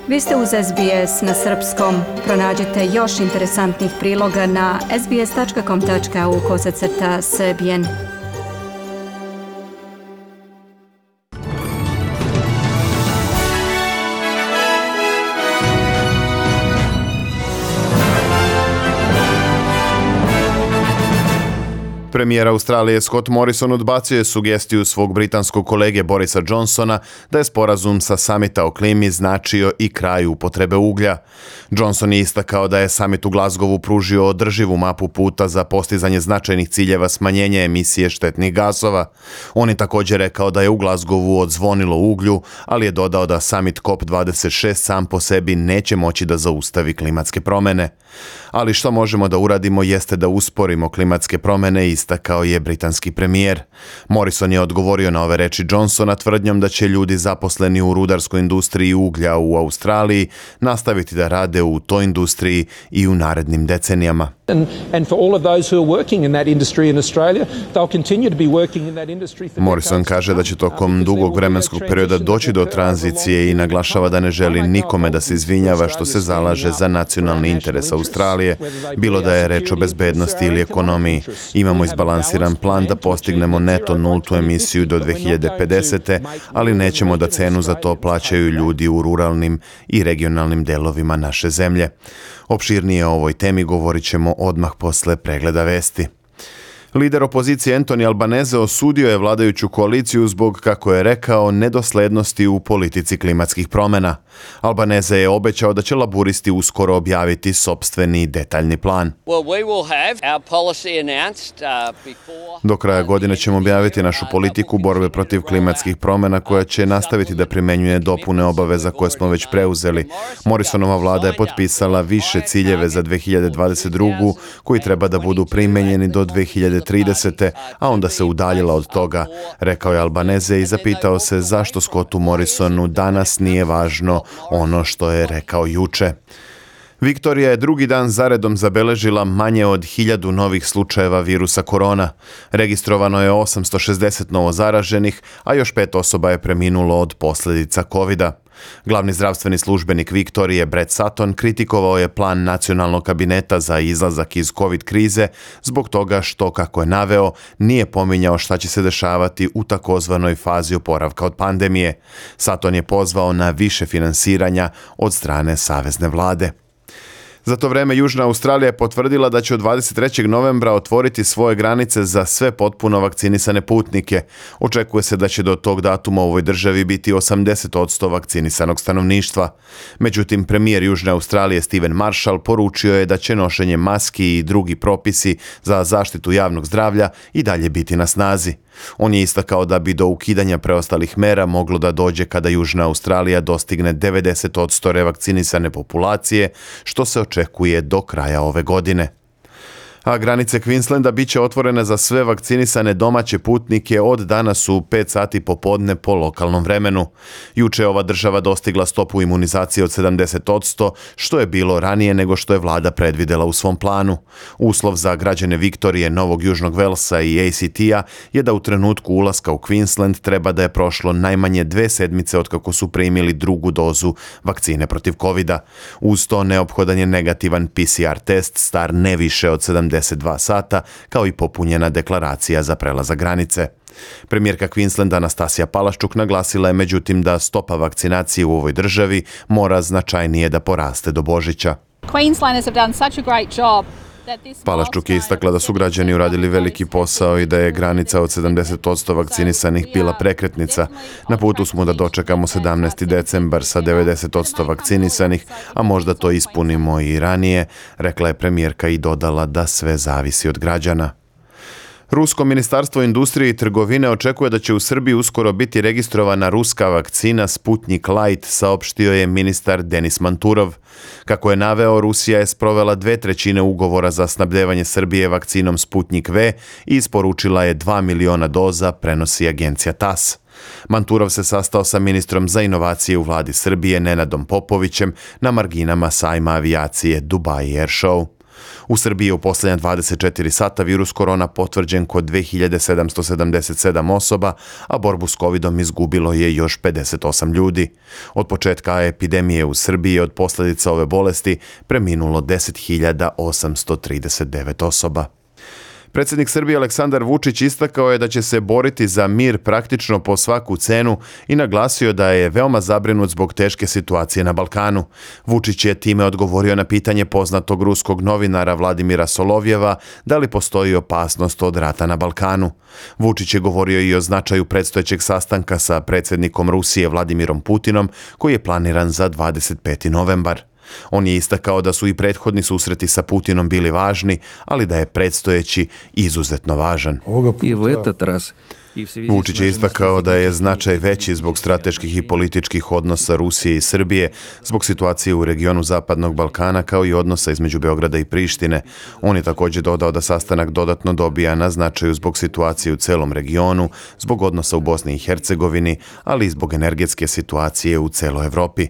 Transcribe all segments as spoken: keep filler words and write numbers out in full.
Vi ste uz S B S na srpskom. Pronađite još interesantnih priloga na sbs.com.au kosacrta srbijen. Premijer Australije Scott Morrison odbacio je sugestiju svog britanskog kolege Borisa Johnsona da je sporazum sa samita o klimi značio i kraj upotrebe uglja. Johnson je istakao da je samit u Glasgowu pružio održivu mapu puta za postizanje značajnih ciljeva smanjenja emisije štetnih gasova. On je također rekao da je u Glasgowu odzvonilo uglju, ali je dodao da samit C O P dvadeset šest sam po sebi neće moći da zaustavi klimatske promjene. Ali što možemo da uradimo jeste da usporimo klimatske promjene, istakao je britanski premijer. Morrison je odgovorio na ove reči Johnsona tvrdnjom da će ljudi zaposleni u rudarskoj industriji uglja u Australiji nastaviti da rade u toj industriji i u narednim decenijama. Morrison kaže da će tokom dugog vremenskog perioda doći do tranzicije i naglašava da ne želi nikome da se izvinjava što se zalaže za nacionalni interes Australije, bilo da je reč o bezbednosti ili ekonomiji. Imamo izbalansiran plan da postignemo neto nultu emisiju do dve hiljade pedesete. ali nećemo da cenu za to plaćaju ljudi u ruralnim i regionalnim delovima naše zemlje. Opširnije o ovoj temi govorit ćemo odmah posle pregleda vesti. Lider opozicije Anthony Albanese osudio je vladajuću koaliciju zbog, kako je rekao, nedoslednosti u politici klimatskih promjena. Albanese je obećao da će laburisti uskoro objaviti sopstveni detaljni plan. Do kraja godine ćemo objaviti našu politiku borbe protiv klimatskih promjena koja će nastaviti da primenjuje dopune obaveza koje smo već preuzeli. Morrisonova vlada je potpisala više ciljeve za dve hiljade dvadeset drugu koji treba da budu primenjeni do dve hiljade tridesete. a onda se udaljila od toga, rekao je Albanese i zapitao se zašto Scottu Morrisonu danas nije važno ono što je rekao juče. Viktorija je drugi dan zaredom zabeležila manje od hiljadu novih slučajeva virusa korona. Registrovano je osamsto šezdeset novo zaraženih, a još pet osoba je preminulo od posljedica kovida. Glavni zdravstveni službenik Viktorije, Brett Sutton, kritikovao je plan nacionalnog kabineta za izlazak iz covid krize zbog toga što, kako je naveo, nije pominjao šta će se dešavati u takozvanoj fazi oporavka od pandemije. Sutton je pozvao na više finansiranja od strane savezne vlade. Za to vreme Južna Australija je potvrdila da će od dvadeset trećeg novembra otvoriti svoje granice za sve potpuno vakcinisane putnike. Očekuje se da će do tog datuma u ovoj državi biti osamdeset posto vakcinisanog stanovništva. Međutim, premijer Južne Australije Stephen Marshall poručio je da će nošenje maski i drugi propisi za zaštitu javnog zdravlja i dalje biti na snazi. On je istakao da bi do ukidanja preostalih mera moglo da dođe kada Južna Australija dostigne devedeset posto revakcinisane populacije, što se očekuje do kraja ove godine. A granice Queenslanda bit će otvorene za sve vakcinisane domaće putnike od danas u pet sati popodne po lokalnom vremenu. Juče je ova država dostigla stopu imunizacije od sedamdeset posto, što je bilo ranije nego što je vlada predvidela u svom planu. Uslov za građane Viktorije, Novog Južnog Velsa i A C T-a je da u trenutku ulaska u Queensland treba da je prošlo najmanje dve sedmice od kako su primili drugu dozu vakcine protiv kovida. Uz to neophodan je negativan P C R test star ne više od sedamdeset dva sata, kao i popunjena deklaracija za prelazak granice. Premijerka Queenslanda Anastasija Palaščuk naglasila je međutim da stopa vakcinacije u ovoj državi mora značajnije da poraste do Božića. Queenslanders have done such a great job. Palaščuk je istakla da su građani uradili veliki posao i da je granica od sedamdeset posto vakcinisanih bila prekretnica. Na putu smo da dočekamo sedamnaesti decembar sa devedeset posto vakcinisanih, a možda to ispunimo i ranije, rekla je premijerka i dodala da sve zavisi od građana. Rusko ministarstvo industrije i trgovine očekuje da će u Srbiji uskoro biti registrovana ruska vakcina Sputnik Light, saopštio je ministar Denis Manturov. Kako je naveo, Rusija je sprovela dve trećine ugovora za snabdevanje Srbije vakcinom Sputnik V i isporučila je dva miliona doza, prenosi agencija T A S. Manturov se sastao sa ministrom za inovacije u vladi Srbije Nenadom Popovićem na marginama sajma avijacije Dubai Air Show. U Srbiji je u posljednja dvadeset četiri sata virus korona potvrđen kod dve hiljade sedamsto sedamdeset sedam osoba, a borbu s covidom izgubilo je još pedeset osam ljudi. Od početka epidemije u Srbiji od posljedica ove bolesti preminulo deset hiljada osamsto trideset devet osoba. Predsjednik Srbije Aleksandar Vučić istakao je da će se boriti za mir praktično po svaku cenu i naglasio da je veoma zabrinut zbog teške situacije na Balkanu. Vučić je time odgovorio na pitanje poznatog ruskog novinara Vladimira Solovjeva da li postoji opasnost od rata na Balkanu. Vučić je govorio i o značaju predstojećeg sastanka sa predsjednikom Rusije Vladimirom Putinom koji je planiran za dvadeset peti novembar. On je istakao da su i prethodni susreti sa Putinom bili važni, ali da je predstojeći izuzetno važan. Vučić je istakao da je značaj veći zbog strateških i političkih odnosa Rusije i Srbije, zbog situacije u regionu Zapadnog Balkana kao i odnosa između Beograda i Prištine. On je također dodao da sastanak dodatno dobija na značaju zbog situacije u celom regionu, zbog odnosa u Bosni i Hercegovini, ali i zbog energetske situacije u celoj Evropi.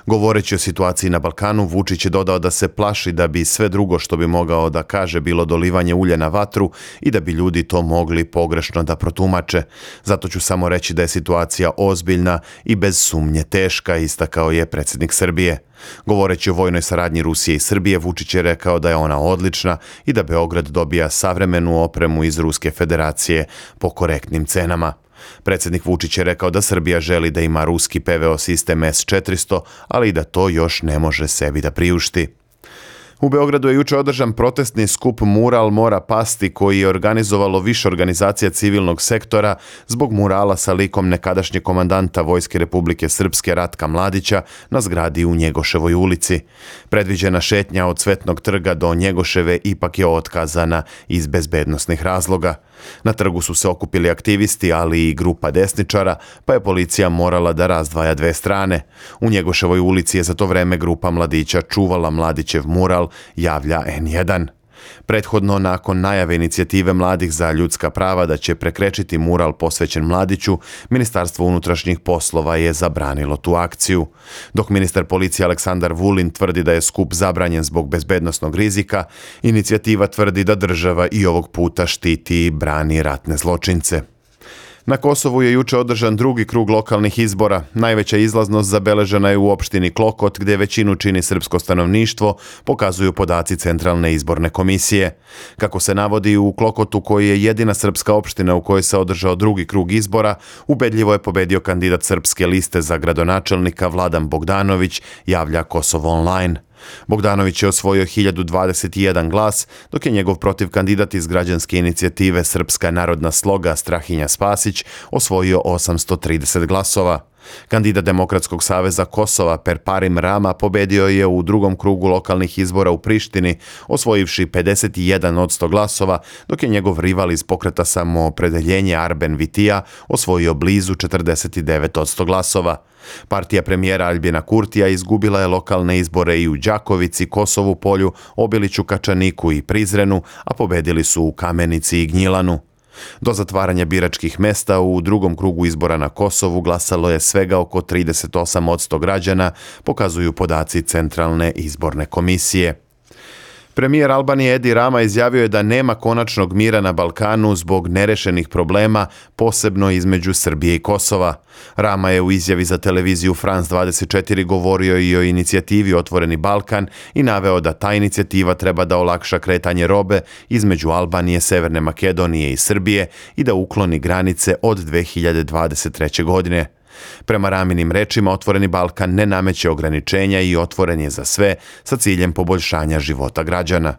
Govoreći o situaciji na Balkanu, Vučić je dodao da se plaši da bi sve drugo što bi mogao da kaže bilo dolivanje ulja na vatru i da bi ljudi to mogli pogrešno da protumače. Zato ću samo reći da je situacija ozbiljna i bez sumnje teška, istakao je predsjednik Srbije. Govoreći o vojnoj saradnji Rusije i Srbije, Vučić je rekao da je ona odlična i da Beograd dobija savremenu opremu iz Ruske federacije po korektnim cenama. Predsjednik Vučić je rekao da Srbija želi da ima ruski P V O sistem S četiristo, ali i da to još ne može sebi da priušti. U Beogradu je juče održan protestni skup Mural mora pasti koji je organizovalo više organizacija civilnog sektora zbog murala sa likom nekadašnjeg komandanta Vojske Republike Srpske Ratka Mladića na zgradi u Njegoševoj ulici. Predviđena šetnja od Cvetnog trga do Njegoševe ipak je otkazana iz bezbednosnih razloga. Na trgu su se okupili aktivisti, ali i grupa desničara, pa je policija morala da razdvaja dve strane. U Njegoševoj ulici je za to vreme grupa mladića čuvala Mladićev mural, javlja N jedan. Prethodno, nakon najave inicijative mladih za ljudska prava da će prekrečiti mural posvećen Mladiću, Ministarstvo unutrašnjih poslova je zabranilo tu akciju. Dok ministar policije Aleksandar Vulin tvrdi da je skup zabranjen zbog bezbednosnog rizika, inicijativa tvrdi da država i ovog puta štiti i brani ratne zločince. Na Kosovu je juče održan drugi krug lokalnih izbora. Najveća izlaznost zabeležena je u opštini Klokot, gdje većinu čini srpsko stanovništvo, pokazuju podaci Centralne izborne komisije. Kako se navodi, u Klokotu, koji je jedina srpska opština u kojoj se održao drugi krug izbora, ubedljivo je pobedio kandidat srpske liste za gradonačelnika Vladan Bogdanović, javlja Kosovo online. Bogdanović je osvojio hiljadu dvadeset jedan glas, dok je njegov protiv kandidat iz građanske inicijative Srpska narodna sloga Strahinja Spasić osvojio osamsto trideset glasova. Kandidat Demokratskog saveza Kosova Perparim Rama pobedio je u drugom krugu lokalnih izbora u Prištini, osvojivši pedeset jedan od sto glasova, dok je njegov rival iz pokreta Samoopredeljenje Arben Vitija osvojio blizu četrdeset devet od sto glasova. Partija premijera Aljbina Kurtija izgubila je lokalne izbore i u Đakovici, Kosovu Polju, Obiliću, Kačaniku i Prizrenu, a pobedili su u Kamenici i Gnjilanu. Do zatvaranja biračkih mesta u drugom krugu izbora na Kosovu glasalo je svega oko trideset osam od sto građana, pokazuju podaci Centralne izborne komisije. Premijer Albanije Edi Rama izjavio je da nema konačnog mira na Balkanu zbog nerešenih problema, posebno između Srbije i Kosova. Rama je u izjavi za televiziju France dvadeset četiri govorio i o inicijativi Otvoreni Balkan i naveo da ta inicijativa treba da olakša kretanje robe između Albanije, Severne Makedonije i Srbije i da ukloni granice od dve hiljade dvadeset treće. godine. Prema Raminim rečima, Otvoreni Balkan ne nameće ograničenja i otvoren je za sve sa ciljem poboljšanja života građana.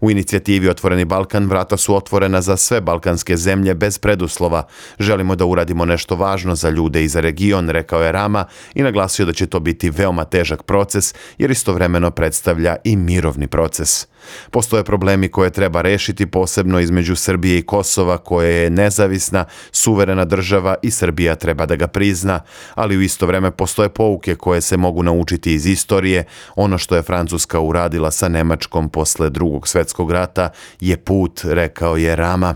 U inicijativi Otvoreni Balkan vrata su otvorena za sve balkanske zemlje bez preduslova. Želimo da uradimo nešto važno za ljude i za region, rekao je Rama i naglasio da će to biti veoma težak proces jer istovremeno predstavlja i mirovni proces. Postoje problemi koje treba rešiti, posebno između Srbije i Kosova, koje je nezavisna, suverena država i Srbija treba da ga prizna, ali u isto vreme postoje pouke koje se mogu naučiti iz istorije. Ono što je Francuska uradila sa Nemačkom posle drugog svjetskog rata je put, rekao je Rama.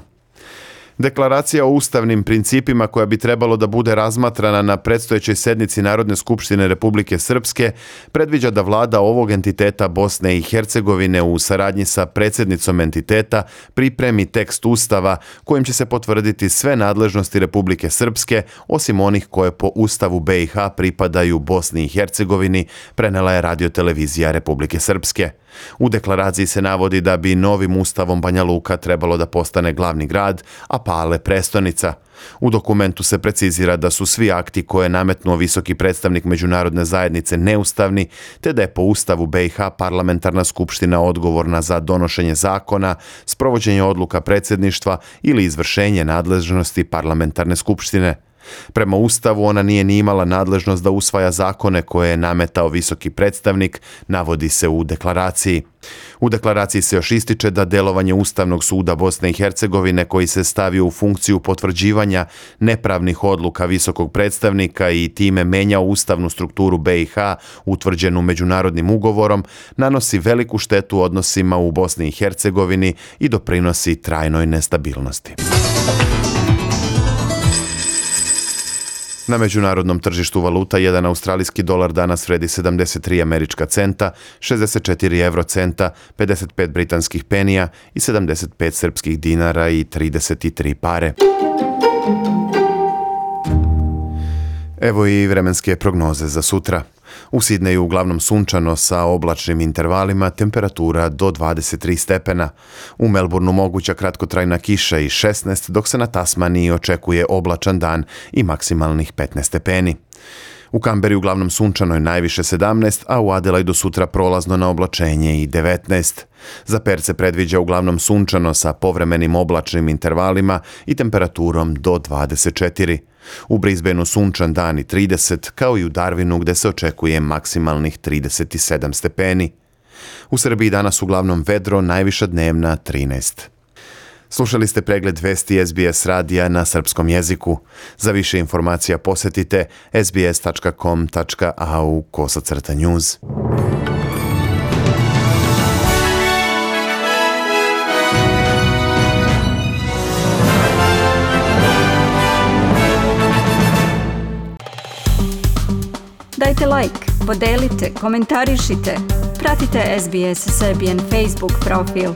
Deklaracija o ustavnim principima koja bi trebalo da bude razmatrana na predstojećoj sednici Narodne skupštine Republike Srpske predviđa da vlada ovog entiteta Bosne i Hercegovine u saradnji sa predsjednicom entiteta pripremi tekst ustava kojim će se potvrditi sve nadležnosti Republike Srpske osim onih koje po Ustavu B i H pripadaju Bosni i Hercegovini, prenela je radiotelevizija Republike Srpske. U deklaraciji se navodi da bi novim ustavom Banja Luka trebalo da postane glavni grad, a Pale prestonica. U dokumentu se precizira da su svi akti koje je nametnuo visoki predstavnik međunarodne zajednice neustavni, te da je po Ustavu B i H parlamentarna skupština odgovorna za donošenje zakona, sprovođenje odluka predsjedništva ili izvršenje nadležnosti parlamentarne skupštine. Prema Ustavu ona nije ni imala nadležnost da usvaja zakone koje je nametao visoki predstavnik, navodi se u deklaraciji. U deklaraciji se još ističe da delovanje Ustavnog suda Bosne i Hercegovine koji se stavio u funkciju potvrđivanja nepravnih odluka visokog predstavnika i time menjao ustavnu strukturu B i H utvrđenu međunarodnim ugovorom, nanosi veliku štetu odnosima u Bosni i Hercegovini i doprinosi trajnoj nestabilnosti. Na međunarodnom tržištu valuta jedan australijski dolar danas vredi sedamdeset tri američka centa, šezdeset četiri evrocenta, pedeset pet britanskih penija i sedamdeset pet srpskih dinara i trideset tri pare. Evo i vremenske prognoze za sutra. U Sidneju uglavnom sunčano sa oblačnim intervalima, temperatura do dvadeset tri stepena. U Melbourneu moguća kratkotrajna kiša i šesnaest, dok se na Tasmaniji očekuje oblačan dan i maksimalnih petnaest stepeni. U Kamberi uglavnom sunčano je najviše sedamnaest, a u Adelaidu sutra prolazno na oblačenje i devetnaest. Za Perth se predviđa uglavnom sunčano sa povremenim oblačnim intervalima i temperaturom do dvadeset četiri. U Brisbaneu sunčan dan i trideset, kao i u Darwinu gde se očekuje maksimalnih trideset sedam stepeni. U Srbiji danas uglavnom vedro, najviša dnevna trinaest. Slušali ste pregled vesti S B S radija na srpskom jeziku. Za više informacija posjetite s b s tačka com tačka a u kosacrta news. Dajte like, podelite, komentarišite. Pratite S B S Serbian Facebook profil.